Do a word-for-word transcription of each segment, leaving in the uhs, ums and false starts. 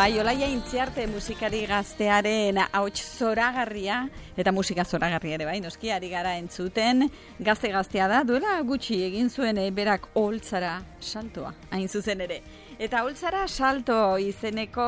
Bai, Olaia Intziarte musikari gaztearen ahots zoragarria eta musika zoragarria ere bai, noski ari gara entzuten. Gazte gaztea da, duela gutxi egin zuen e, berak Oholtzara saltoa, hain zuzen ere. Eta Oholtzara salto izeneko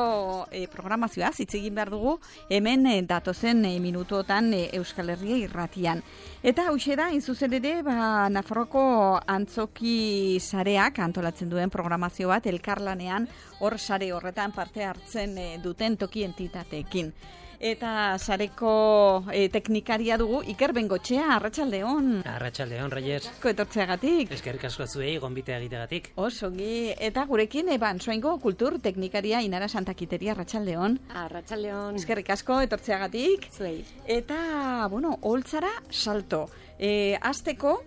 e, programazioa hitz egin behar dugu hemen e, datozen e, minutuotan e, Euskal Herria irratian. Eta hauxe da, hain zuzen ere, ba, Nafarroko antzoki sareak antolatzen duen programazio bat elkarlanean hor sare horretan parte hartzen e, duten toki entitateekin. Eta sareko e, teknikaria dugu Iker Bengotxea, arratsaldeon. Arratsaldeon, Reyes. Ko etortzeagatik. Eskerrik asko zuei gonbitea egiteagatik. Osongi, eta gurekin eban soingo kultur teknikaria Inara Santakiteria, arratsaldeon. Arratsaldeon. Eskerrik asko etortzeagatik. Zuei. Eta, bueno, Oholtzara salto. E, Asteko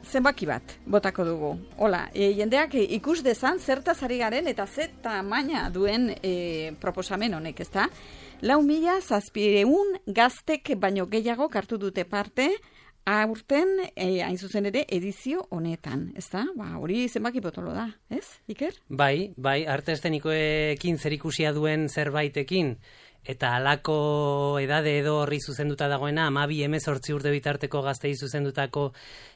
zenbaki bat botako dugu. Hola, e, jendeak e, ikus dezan zertaz ari garen eta ze tamaina duen e, proposamen honek, ezta? Lau mila zazpiehun gaztek baino gehiago hartu dute parte aurten e, hain zuzen ere edizio honetan, ezta? Ba, hori zenbaki potolo da, ez, Iker? Bai, bai, arte estenikoekin zerikusia duen zerbaitekin, eta halako edade edo horri zuzenduta dagoena, hamabi hemezortzi urte bitarteko gaztei zuzendutako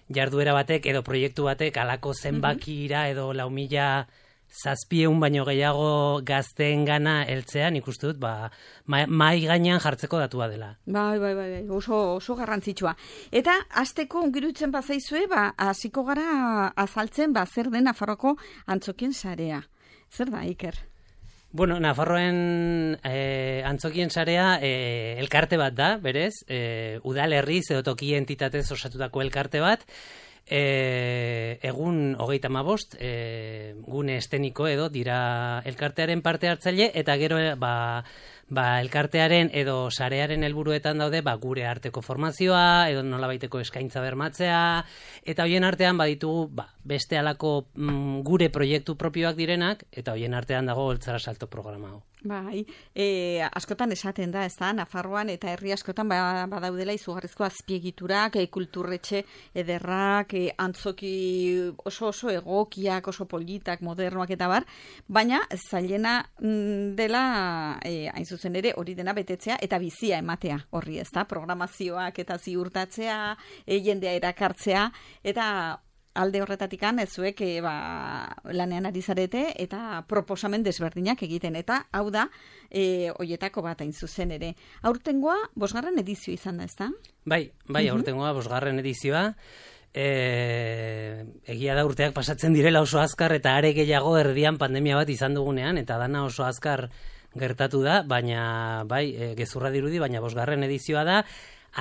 jarduera batek edo proiektu batek halako zenbakira edo lau mila zazpieun baino gehiago gazteen gana heltzea, nik uste dut, ba, mai gainean jartzeko datua dela. Bai, bai, bai, oso, oso garrantzitsua. Eta hasteko ongirutzen bazaizue, ba, hasiko gara azaltzen, ba, zer den Nafarroko antzokien sarea. Zer da, Iker? Bueno, Nafarroen eh, antzokien sarea eh, elkarte bat da, berez, eh, udalerriz edo toki entitatez osatutako elkarte bat, E, egun hogeita hamabost e, gune esteniko edo dira elkartearen parte hartzaile eta gero ba, ba, elkartearen edo sarearen helburuetan daude ba, gure arteko formazioa edo nolabaiteko eskaintza bermatzea eta hoien artean baditugu ba, beste halako mm, gure proiektu propioak direnak eta hoien artean dago Oholtzara salto programa hau. Bai, e, askotan esaten da, ez da, Nafarroan eta herri askotan ba, badaudela izugarrizko azpiegiturak, e, kulturretxe ederrak, e, antzoki oso oso egokiak, oso politak, modernoak eta bar, baina zailena dela, e, hain zuzen ere, hori dena betetzea eta bizia ematea horri, ez da, programazioak eta ziurtatzea, e, jendea erakartzea, eta alde horretatikan ez zuek e, ba, lanean ari zarete eta proposamen desberdinak egiten. Eta hau da, e, hoietako bat hain zuzen ere. Aurtengoa, bosgarren edizio izan da, ez da? Bai, bai, aurtengoa, bosgarren edizioa. E, egia da urteak pasatzen direla oso azkar eta are gehiago erdian pandemia bat izan dugunean, eta dana oso azkar gertatu da, baina bai, e, gezurra dirudi, baina bosgarren edizioa da.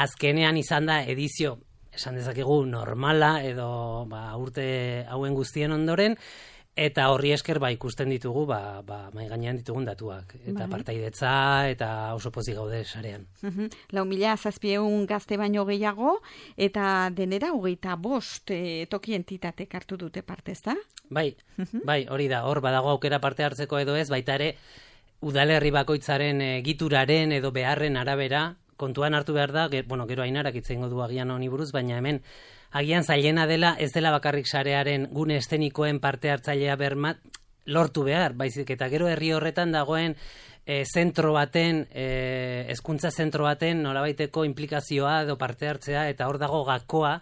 Azkenean izan da edizio esan dezakegu normala edo ba, urte hauen guztien ondoren, eta horri esker ba, ikusten ditugu ba, ba, mai gainean ditugun datuak. Eta bai. Partaidetza eta oso pozik gaude sarean. Uh-huh. Lau mila zazpieun gazte baino gehiago, eta denera hogeita bost e, toki entitatek hartu dute parte, ezta? Bai, uh-huh. bai, hori da, hor badago aukera parte hartzeko edo ez, baita ere udalerri bakoitzaren e, gituraren edo beharren arabera, kontuan hartu behar da, ge, bueno, gero Ainarak hitz egingo du agian honi buruz, baina hemen agian zailena dela ez dela bakarrik sarearen gune estenikoen parte hartzailea bermat lortu behar, baizik eta gero herri horretan dagoen e, zentro baten, e, hezkuntza zentro baten nolabaiteko implikazioa edo parte hartzea eta hor dago gakoa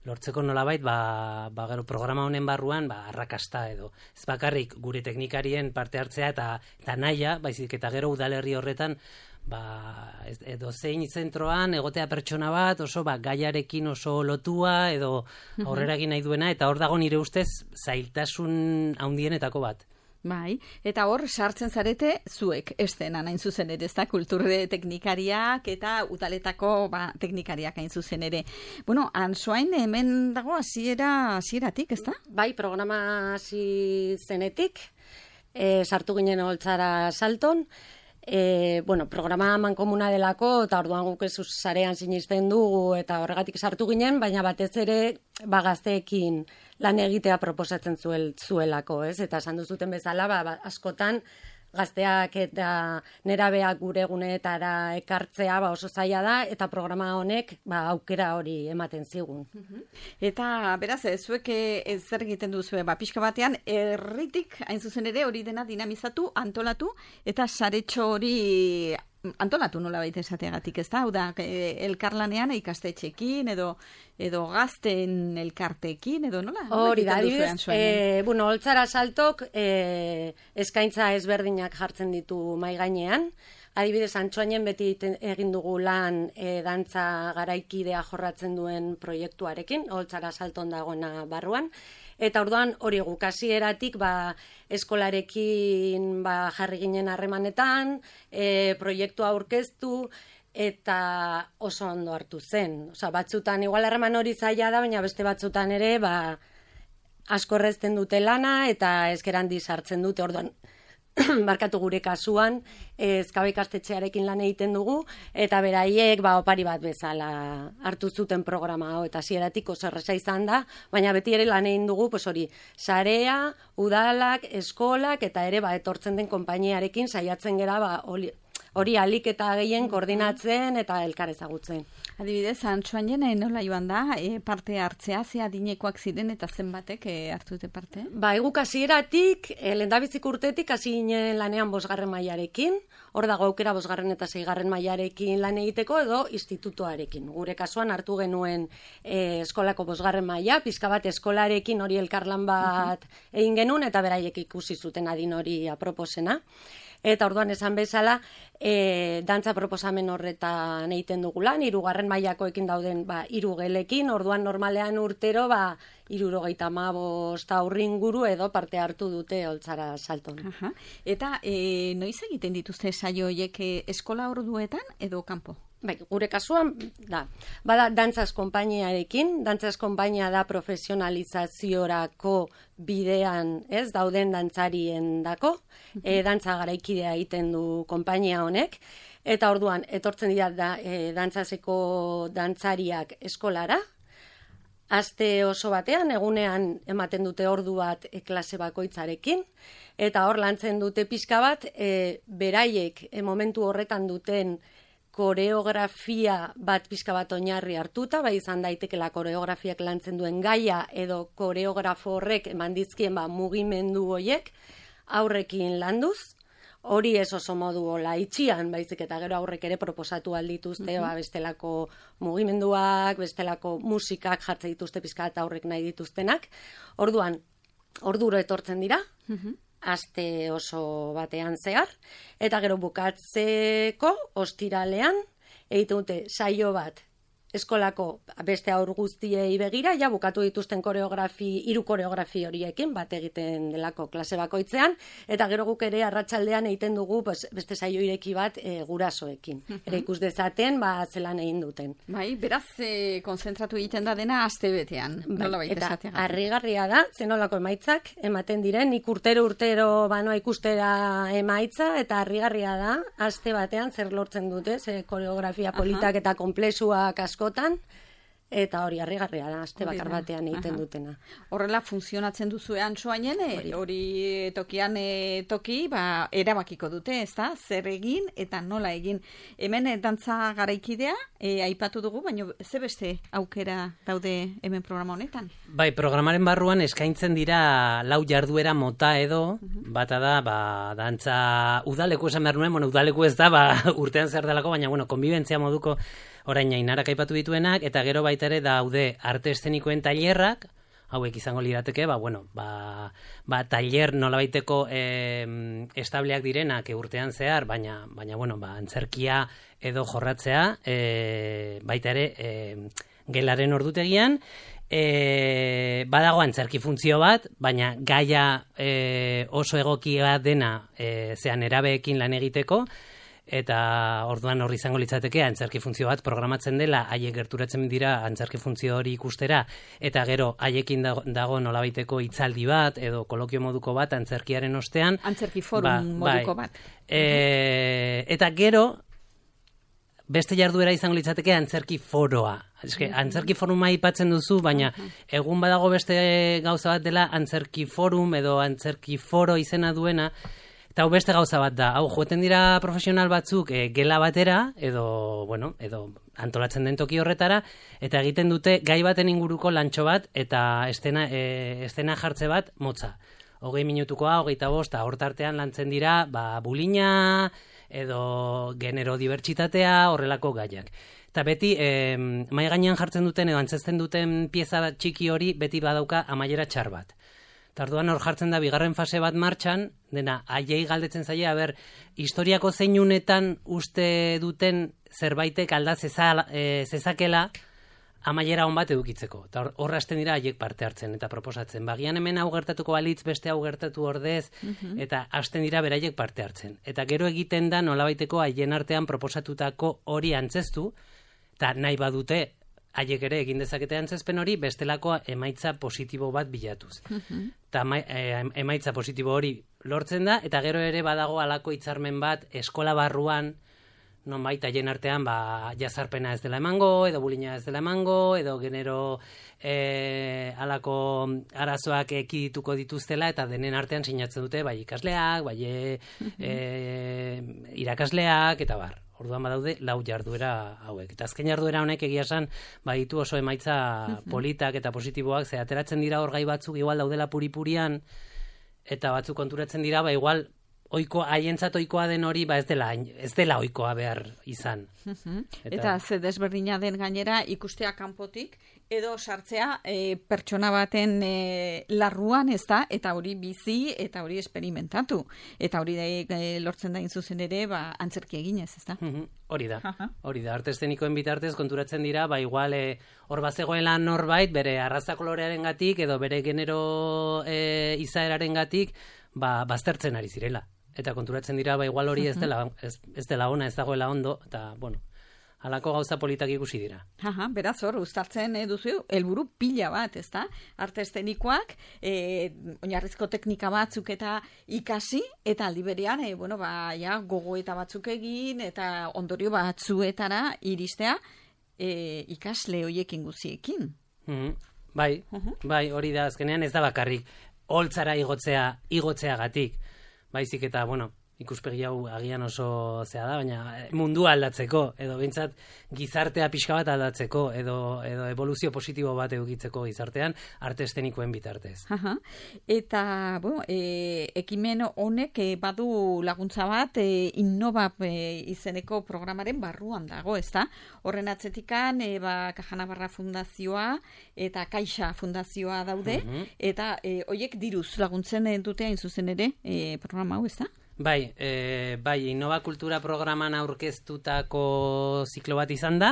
lortzeko nolabait, ba, ba gero programa honen barruan, ba, arrakasta edo. Ez bakarrik gure teknikarien parte hartzea eta, eta naia, baizik eta gero udalerri horretan, ba, edo zein zentroan egotea pertsona bat, oso ba, gaiarekin oso lotua, edo aurrera egin nahi duena, eta hor dago nire ustez zailtasun handienetako bat. Bai, eta hor sartzen zarete zuek estenan hain zuzen ere, ez da, kulturre teknikariak eta udaletako ba, teknikariak hain zuzen ere. Bueno, Ansoain hemen dago hasiera hasieratik, ez da? Bai, programa hasi zenetik, e, sartu ginen Oholtzara salton, e, bueno, programa mankomuna delako, eta orduan guk ez sarean sinisten dugu, eta horregatik sartu ginen, baina batez ere ba, gazteekin lan egitea proposatzen zuel, zuelako, ez? Eta esan duzuten bezala, ba, ba, askotan gazteak eta nerabeak gure egunetara ekartzea ba, oso zaila da, eta programa honek ba, aukera hori ematen zigun. Eta beraz, zuek ez zer egiten duzue, ba, pixka batean, herritik hain zuzen ere hori dena dinamizatu, antolatu, eta saretxo hori antolatu nola baita esateagatik, ez da? Hau da, elkarlanean ikastetxekin, edo edo gazten elkartekin, edo nola? Hori da, adibidez, e, bueno, Oltzara Saltok e, eskaintza ezberdinak jartzen ditu mai gainean. Adibidez, Antsoainen beti egin dugu lan e, dantza garaikidea jorratzen duen proiektuarekin, Oltzara Salton dagoena barruan. Eta orduan hori guk hasieratik ba, eskolarekin ba, jarri ginen harremanetan, e, proiektua aurkeztu, eta oso ondo hartu zen. Osa, batzutan igual harreman hori zaila da, baina beste batzutan ere ba, asko errezten dute lana, eta ezker handi sartzen dute orduan. Barkatu gure kasuan, ezkabe ikastetxearekin lan egiten dugu, eta beraiek ba, opari bat bezala hartu zuten programa hau, eta hasieratik oso erresa izan da, baina beti ere lan egin dugu, pues hori, sarea, udalak, eskolak, eta ere ba, etortzen den konpainiarekin saiatzen gera ba, hori, hori alik eta gehien koordinatzen eta elkar ezagutzen. Adibidez, Antsoainen nola joan da, e, parte hartzea, ze adinekoak ziren eta zenbatek e, hartu dute parte? Ba, eguk hasieratik, e, lehendabizik urtetik hasi ginen lanean bosgarren mailarekin, hor dago aukera bosgarren eta seigarren mailarekin lan egiteko edo institutoarekin. Gure kasuan hartu genuen e, eskolako bosgarren maila, pizka bat eskolarekin hori elkarlan bat egin genuen eta beraiek ikusi zuten adin hori aproposena. Eta orduan esan bezala, e, dantza proposamen horretan egiten dugulan, hirugarren mailakoekin dauden ba, hiru gelekin, orduan normalean urtero ba, hirurogeita hamabost aurringuru edo parte hartu dute Oltzara Salton. Aha. Eta e, noiz egiten dituzte saio horiek eskola orduetan edo kanpo? Bai, gure kasuan, da, bada dantzaz konpainiarekin, dantzaz konpainia da profesionalizaziorako bidean, ez, dauden dantzarien dako, e, dantza garaikidea egiten du konpainia honek, eta orduan, etortzen dira da, e, dantzazeko dantzariak eskolara, aste oso batean, egunean ematen dute ordu bat e, klase bakoitzarekin, eta hor lantzen dute pixka bat, e, beraiek e, momentu horretan duten koreografia bat pixka bat oinarri hartuta, bai izan daitekela koreografiak lantzen duen gaia edo koreografo horrek eman dizkien ba, mugimendu horiek aurrekin landuz, hori ez oso modu hola itxian, baizik eta gero aurrek ere proposatu aldituzte, uh-huh. ba, bestelako mugimenduak, bestelako musikak jartzen dituzte pixka eta aurrek nahi dituztenak. Orduan, orduro etortzen dira, uh-huh. aste oso batean zehar, eta gero bukatzeko ostiralean egiten dute saio bat eskolako beste aur guztiei begira, ja bukatu dituzten koreografi, hiru koreografi horiekin, bat egiten delako klase bakoitzean, eta gero guk ere arratsaldean egiten dugu pues, beste saio ireki bat e, gurasoekin. Uh-huh. Ere ikus dezaten, ba, zelan egin duten. Bai, beraz, e, konzentratu egiten da dena aste betean. Bai, eta harrigarria da, zenolako emaitzak ematen diren, nik urtero urtero banoa ikustera emaitza, eta harrigarria da, aste batean zer lortzen dute, ze koreografia politak uh-huh. eta komplexuak askotan, eta hori harrigarria da, aste bakar batean egiten Aha. dutena. Horrela funtzionatzen duzu Antsoainen, hori, hori tokian e, toki, ba, erabakiko dute, ez da, zer egin eta nola egin. Hemen e, dantza garaikidea, e, aipatu dugu, baina ze beste aukera daude hemen programa honetan? Bai, programaren barruan eskaintzen dira lau jarduera mota edo, uh-huh. bata da, ba, dantza udaleku esan behar nuen, bueno, udaleku ez da, ba, urtean zer delako, baina, bueno, konbibentzia moduko orain Ainarak aipatu dituenak, eta gero baita ere daude arte eszenikoen tailerrak, hauek izango lirateke, ba, bueno, ba, ba tailer nolabaiteko e, estableak direnak urtean zehar, baina, baina bueno, ba, antzerkia edo jorratzea, e, baita ere e, gelaren ordutegian, e, badago antzerki funtzio bat, baina gaia e, oso egokia dena e, zean erabeekin lan egiteko, eta orduan horri izango litzateke antzerki funtzio bat programatzen dela, haiek gerturatzen dira antzerki funtzio hori ikustera, eta gero haiekin dago, dago nolabaiteko hitzaldi bat edo kolokio moduko bat antzerkiaren ostean. Antzerki forum ba, moduko bai. bat. E, eta gero beste jarduera izango litzateke antzerki foroa. Eske, antzerki foruma aipatzen duzu, baina egun badago beste gauza bat dela antzerki forum edo antzerki foro izena duena, Eta hau beste gauza bat da, hau joeten dira profesional batzuk e, gela batera, edo, bueno, edo antolatzen den toki horretara, eta egiten dute gai baten inguruko lantxo bat, eta estena, e, estena jartze bat motza. Hogei minutukoa, hogeita bosta, hortartean lantzen dira, ba, bulina, edo genero dibertsitatea, horrelako gaiak. Eta beti, e, mai gainean jartzen duten, edo antzezten duten pieza txiki hori, beti badauka amaiera txar bat. Tarduan hor jartzen da bigarren fase bat martxan, dena, haiei galdetzen zaila, ber, historiako zeinunetan uste duten zerbaitek alda zeza, e, zezakela amaiera hon bat edukitzeko. Eta hor hasten dira haiek parte hartzen eta proposatzen. Bagian hemen hau gertatuko balitz, beste hau gertatu ordez, uh-huh. eta hasten dira beraiek parte hartzen. Eta gero egiten da nolabaiteko haien artean proposatutako hori antzestu, eta nahi badute, haiek ere egin dezakete antzezpen hori, bestelako emaitza positibo bat bilatuz. Eta uh-huh. emaitza positibo hori lortzen da, eta gero ere badago halako hitzarmen bat eskola barruan, nonbait haien artean ba, jazarpena ez dela emango, edo bulina ez dela emango, edo genero e, halako arazoak ekidituko dituztela, eta denen artean sinatzen dute bai ikasleak, bai uh-huh. e, irakasleak, eta bar. Orduan badaude lau jarduera hauek. Eta azken jarduera honek egia esan baditu oso emaitza politak eta positiboak, ze ateratzen dira hor gai batzuk igual daudela puripurian, eta batzuk konturatzen dira, ba igual oiko, haientzat oikoa den hori, ba ez dela, ez dela oikoa behar izan. Eta, eta ze desberdina den gainera ikustea kanpotik, edo sartzea e, pertsona baten e, larruan, ez da, eta hori bizi, eta hori esperimentatu. Eta hori e, lortzen da zuzen ere, ba, antzerki eginez, ez da? Hori da, hori da. Arte eszenikoen bitartez konturatzen dira, ba, igual, e, hor bazegoela norbait, bere arraza kolorearen gatik, edo bere genero e, izaeraren gatik, ba, baztertzen ari zirela. Eta konturatzen dira, ba, igual hori ez dela, ez, ez dela ona, ez dagoela ondo, eta, bueno, halako gauza politak ikusi dira. Aha, beraz hor, uztartzen eh, duzu, helburu pila bat, ez da? Arte eszenikoak, eh, oinarrizko teknika batzuk eta ikasi, eta aldi berean, eh, bueno, ba, ja, gogoeta batzuk egin, eta ondorio batzuetara iristea, eh, ikasle hoiekin guziekin. Mm-hmm. Bai, uh-huh. bai, hori da, azkenean ez da bakarrik, holtzara igotzea, igotzeagatik, baizik eta, bueno, ikuspegi hau agian oso zea da, baina mundua aldatzeko, edo behintzat gizartea pixka bat aldatzeko, edo, edo evoluzio positibo bat edukitzeko gizartean, arte eszenikoen bitartez. Aha. Eta, bueno, e, ekimen honek e, badu laguntza bat, e, Innobap e, izeneko programaren barruan dago, ez da? Horren atzetikan, e, ba, Caja Navarra Fundazioa eta Caixa Fundazioa daude, uh-huh. eta e, hoiek diruz laguntzen dute hain zuzen ere e, programa hau, ez da? Bai, e, bai, Innova Kultura programan aurkeztutako ziklo bat izan da.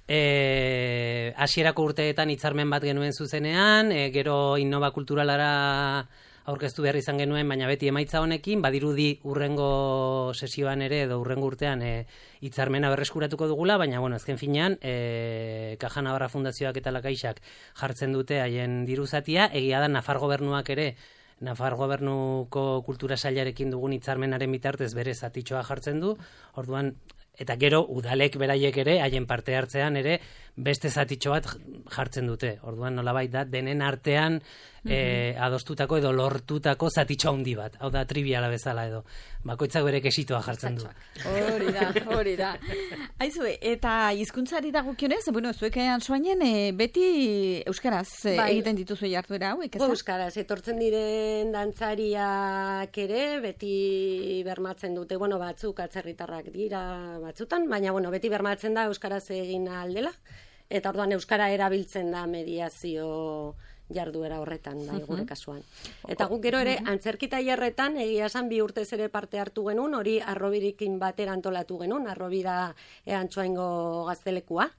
E, hasierako urteetan hitzarmen bat genuen zuzenean, e, gero Innova Kulturalara aurkeztu behar izan genuen, baina beti emaitza honekin, badirudi urrengo sesioan ere, edo urrengo urtean e, hitzarmena berreskuratuko dugula, baina, bueno, azken finean, e, Caja Navarra Fundazioak eta Lakaixak jartzen dute haien diruzatia, egia da Nafar Gobernuak ere, Nafar Gobernuko kultura sailarekin dugun hitzarmenaren bitartez bere zatitxoa jartzen du, orduan, eta gero udalek beraiek ere, haien parte hartzean ere, beste zatitxo bat jartzen dute. Orduan, nolabait da, denen artean mm-hmm. e, adostutako edo lortutako zatitxo handi bat. Hau da, triviala bezala edo. Bakoitzak bere kesitoa jartzen du. Hori da, hori da. Aizue, eta hizkuntzari dagokionez, bueno, zuekean soainen, e, beti euskaraz e, bai. Egiten dituzu jarduera hauek, ez da? Euskaraz, etortzen diren dantzariak ere, beti bermatzen dute, bueno, batzuk atzerritarrak dira batzutan, baina, bueno, beti bermatzen da euskaraz egin aldela, eta orduan euskara erabiltzen da mediazio jarduera horretan, bai, gure kasuan. Eta guk gero ere, antzerki tailerretan, egia esan bi urtez ere parte hartu genuen, hori Arrobirikin batera antolatu genuen, Arrobira Antsoaingo gaztelekua,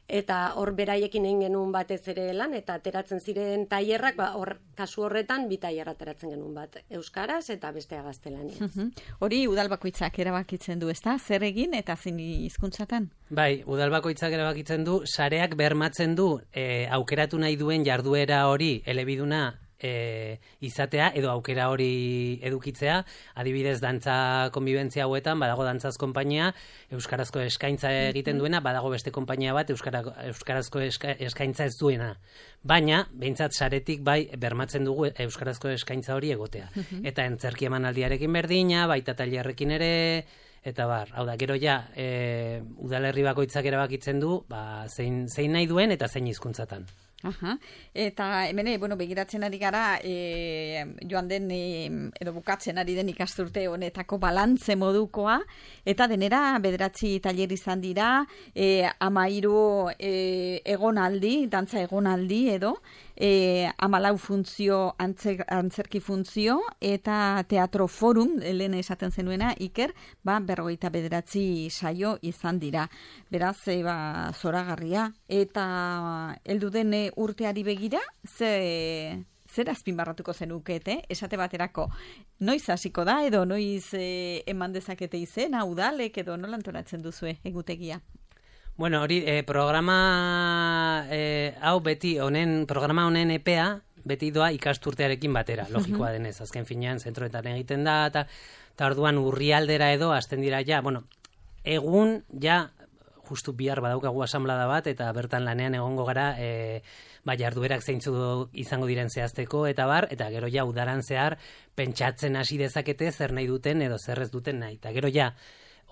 eta hor beraiekin egin genuen batez ere lan, eta ateratzen ziren tailerrak, ba, hor kasu horretan, bi tailer ateratzen genuen bat, euskaraz eta bestea gaztelaniaz. Hori udal bakoitzak erabakitzen du, ezta? Zer egin eta zein hizkuntzatan? Bai, udal bakoitzak erabakitzen du, sareak bermatzen du, e, aukeratu nahi duen jarduera hori elebiduna e, izatea edo aukera hori edukitzea, adibidez dantza konbibentzia hauetan, badago dantzaz konpainia, euskarazko eskaintza egiten duena, badago beste konpainia bat, euskara, euskarazko eska, eskaintza ez duena. Baina, behintzat saretik bai, bermatzen dugu euskarazko eskaintza hori egotea. Eta entzerki emanaldiarekin berdina, baita tailerrekin ere, eta bar, hau da, gero ja, e, udalerri bakoitzak erabakitzen du, ba, zein, zein nahi duen eta zein hizkuntzatan. Aha. Eta hemen, bueno, begiratzen ari gara e, joan den e, edo bukatzen ari den ikasturte honetako balantze modukoa, eta denera bederatzi tailer izan dira, e, amairu e, egonaldi, dantza egonaldi edo, e, amalau funtzio, antzer, antzerki funtzio, eta teatro forum, lehen esaten zenuena, Iker, ba, berrogeita bederatzi saio izan dira. Beraz, e, ba, zoragarria, eta heldu den urteari begira, ze, zer azpimarratuko zenukete, esate baterako, noiz hasiko da, edo noiz e, eman dezakete izena, udalek, edo nola antolatzen duzue egutegia? Bueno, hori, eh, programa eh, hau beti, honen, programa honen epea, beti doa ikasturtearekin batera, logikoa denez, azken finean, zentroetan egiten da, eta orduan urrialdera edo, hasten dira ja, bueno, egun, ja, justu bihar badaukagu asamblada bat, eta bertan lanean egongo gara, e, ba, jarduerak zeintzu izango diren zehazteko, eta bar, eta gero ja udaran zehar pentsatzen hasi dezakete zer nahi duten edo zer ez duten nahi. Eta gero ja,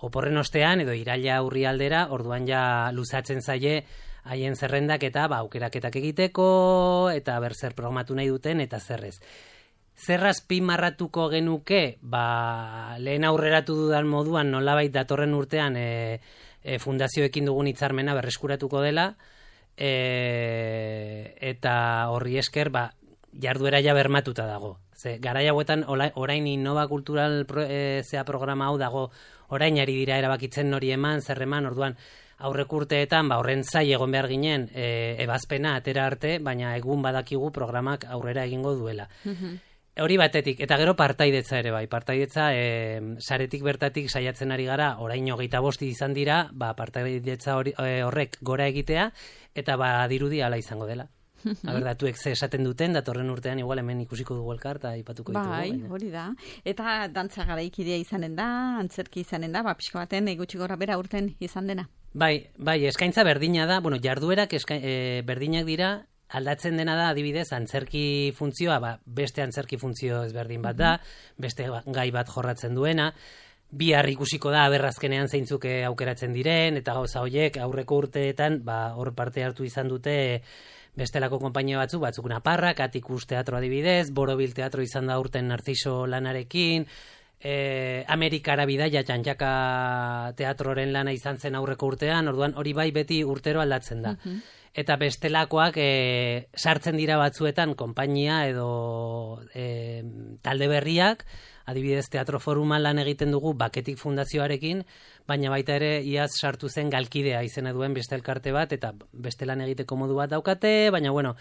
oporren ostean edo iraila urrialdera, orduan ja luzatzen zaie haien zerrendak eta ba, aukeraketak egiteko, eta ber zer programatu nahi duten, eta zerrez. Zer azpimarratuko genuke, ba, lehen aurreratu dudan moduan nolabait datorren urtean e, E, fundazioekin dugun hitzarmena berreskuratuko dela, e, eta horri esker ba, jarduera ja bermatuta dago. Ze, garai hauetan orain Innova Kultural pro, e, zea programa hau dago, orain ari dira erabakitzen nori eman, zer eman, orduan aurrek urteetan ba, horren zai egon behar ginen e, ebazpena atera arte, baina egun badakigu programak aurrera egingo duela. Hori batetik, eta gero partaidetza ere bai, partaidetza e, saretik bertatik saiatzen ari gara, orain hogeita bosti izan dira, ba, partaidetza hori, e, horrek gora egitea, eta ba, dirudi ala izango dela. Aberdatuek ze esaten duten, datorren urtean igual hemen ikusiko dugu elkar, eta ipatuko ditugu. Bai, hori da. Eta dantza garaikidea izanen da, antzerki izanen da, ba, pixko baten gutxi gora bera urten izan dena. Bai, bai, eskaintza berdina da, bueno, jarduerak eska, e, berdinak dira, aldatzen dena da, adibidez, antzerki funtzioa, ba, beste antzerki funtzio ezberdin bat da, beste gai bat jorratzen duena, bihar ikusiko da aberrazkenean zeintzuk aukeratzen diren, eta gauza horiek aurreko urteetan, ba, hor parte hartu izan dute bestelako konpainia batzuk, batzuk Naparrak, Atikus teatro adibidez, Borobil teatro izan da urten Narciso lanarekin, E, Amerikara bidaia Txantxaka teatroren lana izan zen aurreko urtean, orduan hori bai beti urtero aldatzen da. Uh-huh. Eta bestelakoak e, sartzen dira batzuetan konpainia edo e, talde berriak, adibidez Teatro Foruman lan egiten dugu Baketik Fundazioarekin, baina baita ere iaz sartu zen Galkidea izena duen beste elkarte bat, eta beste lan egiteko modu bat daukate, baina bueno,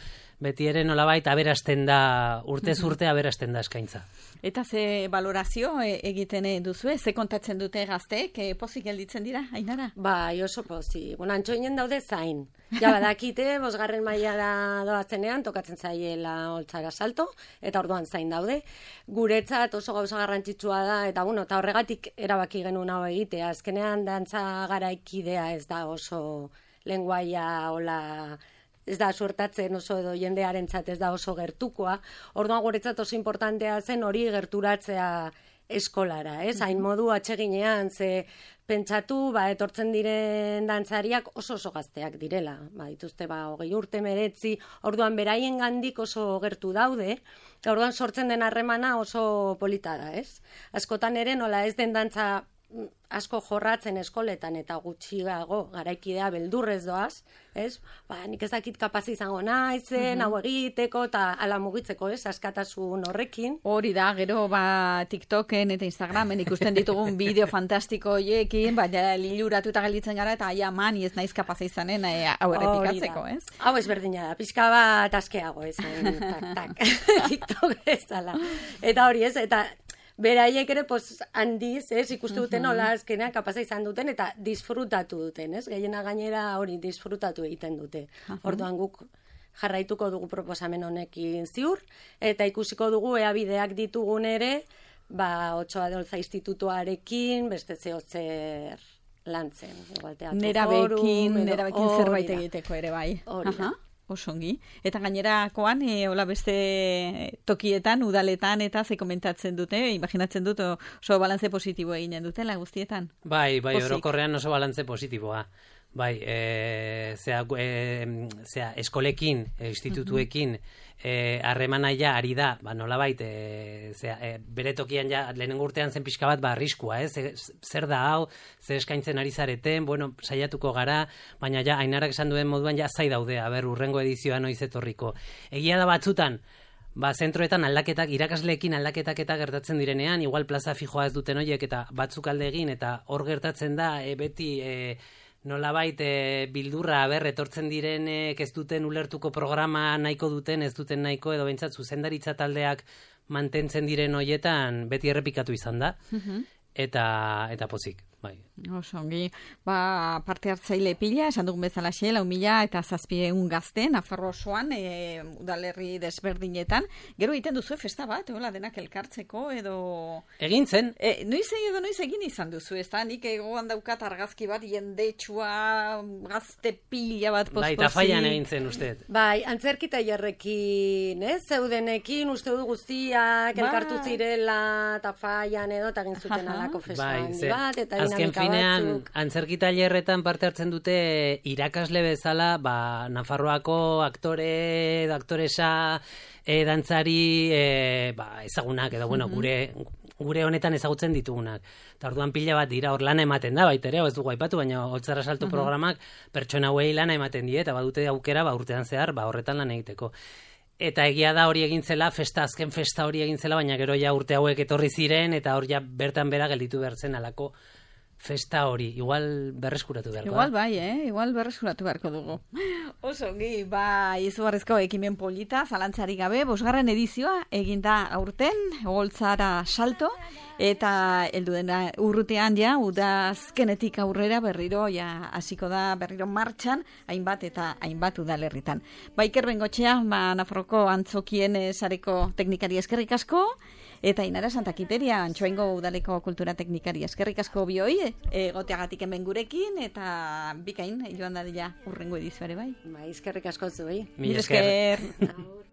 beti ere nolabait aberasten da, urtez urte aberasten da eskaintza. Eta ze valorazio egiten duzue, ze kontatzen dute gazteek, e, pozik gelditzen dira, Ainara? Bai, oso pozik. Bueno, Antxoinen daude zain. Ja, badakite, bosgarren mailara doazenean, tokatzen zaiela Oltzara salto, eta orduan zain daude. Guretzat oso gauza garrantzitsua da, eta bueno, eta horregatik erabaki genuen hau egitea. Azkenean, dantza garaikidea ez da oso lenguaia, hola, ez da suertatzen oso edo jendearentzat ez da oso gertukoa. Orduan guretzat oso importantea zen hori gerturatzea eskolara, ez? Hain modu atseginean, ze pentsatu, ba, etortzen diren dantzariak oso oso gazteak direla. Ba, dituzte, ba, hogei urte meretzi, orduan beraien gandik oso gertu daude, eta orduan sortzen den harremana oso polita da, ez? Askotan ere, nola ez den dantza asko jorratzen eskoletan eta gutxiago garaikidea beldurrez doaz, ez? Ba, nik ez dakit kapaz izango naizen, hau egiteko eta ala mugitzeko, ez? Askatasun horrekin. Hori da, gero ba TikToken eta Instagramen ikusten ditugun bideo fantastiko hoiekin, baina liluratuta gelditzen gara eta aia mani ez naiz kapaz izanen hau errepikatzeko, ez? Hau ez berdina da, pixka bat askeago, ez? Tak, tak, TikTok ez dala. Eta hori ez, eta beraiek ere, pues, handiz, ez, ikustu duten nola azkenean kapaza izan duten eta disfrutatu duten, ez? Gehiena gainera hori disfrutatu egiten dute. Orduan guk jarraituko dugu proposamen honekin ziur, eta ikusiko dugu ea bideak ditugun ere, ba, Otsoa de Olza institutuarekin, beste zehotzer lantzen. Igual teatro Nerabekin, forum, edo- nerabekin hori zerbait da. egiteko ere bai. Hori da. Aha, osongi. Eta gainerakoan, e, hola beste tokietan, udaletan, eta ze komentatzen dute, imaginatzen dut oso balantze positibo eginen dutela guztietan. Bai, bai, Pozik. orokorrean oso balantze positiboa. Bai, e, zea, e, zea, eskolekin, e, institutuekin, e, harremana ja ari da, ba, nolabait, e, zea, e, bere tokian ja, lehenengo urtean zen pixka bat, ba, arriskua, ez? E, zer da hau, zer eskaintzen ari zareten, bueno, saiatuko gara, baina ja, Ainarak esan duen moduan, ja, zai daude, aber, urrengo edizioa noiz etorriko. Egia da batzutan, ba, zentroetan aldaketak, irakasleekin aldaketak eta gertatzen direnean, igual plaza fijoa ez duten horiek, eta batzuk alde egin, eta hor gertatzen da, e, beti, e, nolabait e, bildurra aber etortzen direnek ez duten ulertuko programa nahiko duten, ez duten nahiko, edo behintzat zuzendaritza taldeak mantentzen diren hoietan beti errepikatu izan da, eta, eta pozik, bai. Oso ongi, ba, parte hartzaile pila, esan dugun bezala xe, lau mila eta zazpieun gazte, Nafarro osoan, e, udalerri desberdinetan. Gero egiten duzu festa bat, hola denak elkartzeko, edo... Egin zen, E, noiz edo noiz egin izan duzu, ez da? Nik egoan daukat argazki bat, jendetsua, gazte pila bat posposi. bai, tafaian egin zen uste. Bai, antzerki tailerrekin, ez? Zeudenekin, uste du guztiak, Bai. elkartu zirela, tafaian edo, eta egin zuten Aha. alako festa Bai, handi ze, bat, eta azken dinamika finean, batzuk. antzerki tailerretan parte hartzen dute irakasle bezala, ba, Nafarroako aktore, aktoresa, e, dantzari, e, ba, ezagunak, edo, bueno, gure, gure honetan ezagutzen ditugunak. Eta orduan pila bat dira, hor lana ematen da, baita ere, hau ez dugu aipatu, baina Oltzara Salto programak pertsona hauei lana ematen die, eta badute aukera, ba, urtean zehar, ba, horretan lan egiteko. Eta egia da hori egin zela, festa, azken festa hori egin zela, baina gero ja urte hauek etorri ziren, eta hor ja bertan bera gelditu behar zen alako festa hori. Igual berreskuratu beharko Igual da. bai, eh? Igual berreskuratu beharko dugu. Oso ongi, ba, izugarrizko ekimen polita, zalantzari gabe, bosgarren edizioa eginda aurten, Oltzara Salto, eta heldu dena urrutean ja, udazkenetik aurrera berriro, ja, hasiko da berriro martxan, hainbat eta hainbat udalerritan. Ba, Iker Bengotxea, ba, Nafarroko antzokien eh, sareko teknikari eskerrik asko, eta Ainara Santakiteria, Antxoaingo udaleko kultura teknikari eskerrik asko bioi, egoteagatik hemen gurekin, eta bikain, joan dadila urrengo edizioare bai. Bai, eskerrik asko zuei. Mila esker. esker. Agur.